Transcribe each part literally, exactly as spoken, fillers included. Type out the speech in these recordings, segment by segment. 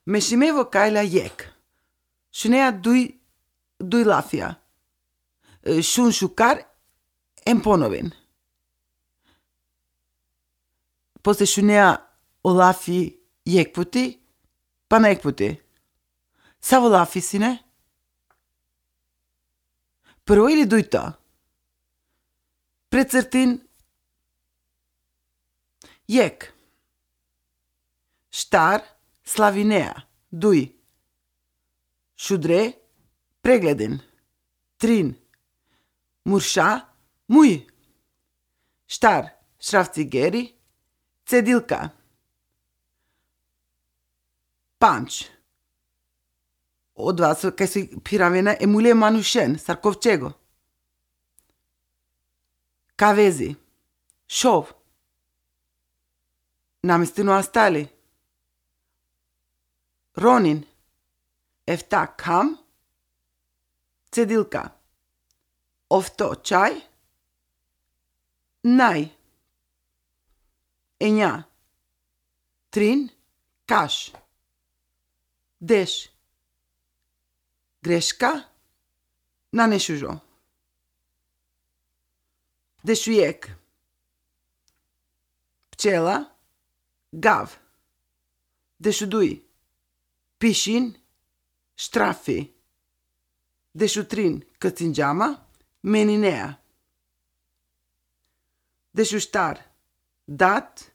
Mešime vokajla jek. Šunea duj, duj lafija. E, šun šukar, em ponoven. Posle šunea o lafi jek puti, pana jek puti. Savo lafi sine? Prvo ili dujto? Precrtin. Jek. Štar, slavinea. Duj. Šudre, pregledin. Trin. Murša, muj. Štar, šrafcigeri, cedilka. Panč. Odova so, kaj si piravena e mule manušen, sar kovčego. Kavezi. Šov. Namestino astali. Ronin. Efta, kam. Cedilka. Ofto, čaj. Naj. Enja. Trin. Kaš. Deš. Greška. Nane šužo. Dešujek. Pčela. Gav. Dešuduj. Pišin. Štrafi. Dešutrin. Kcinđama. Meninea. Dešuštar. Dat.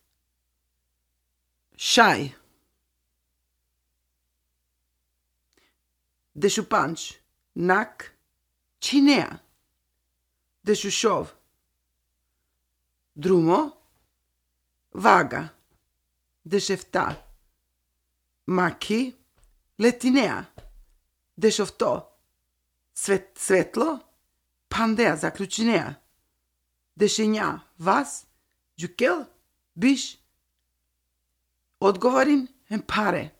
Šaj. Dešupanč. Nak. Činea. Dešušov. Drumo. Vaga. Dešefta. Maki. Letinea. Dešofto. Svet-, svetlo. Pandea, zaključinea. Dešenja. Vas. Džukel. Biš. Odgovorin. Em pare.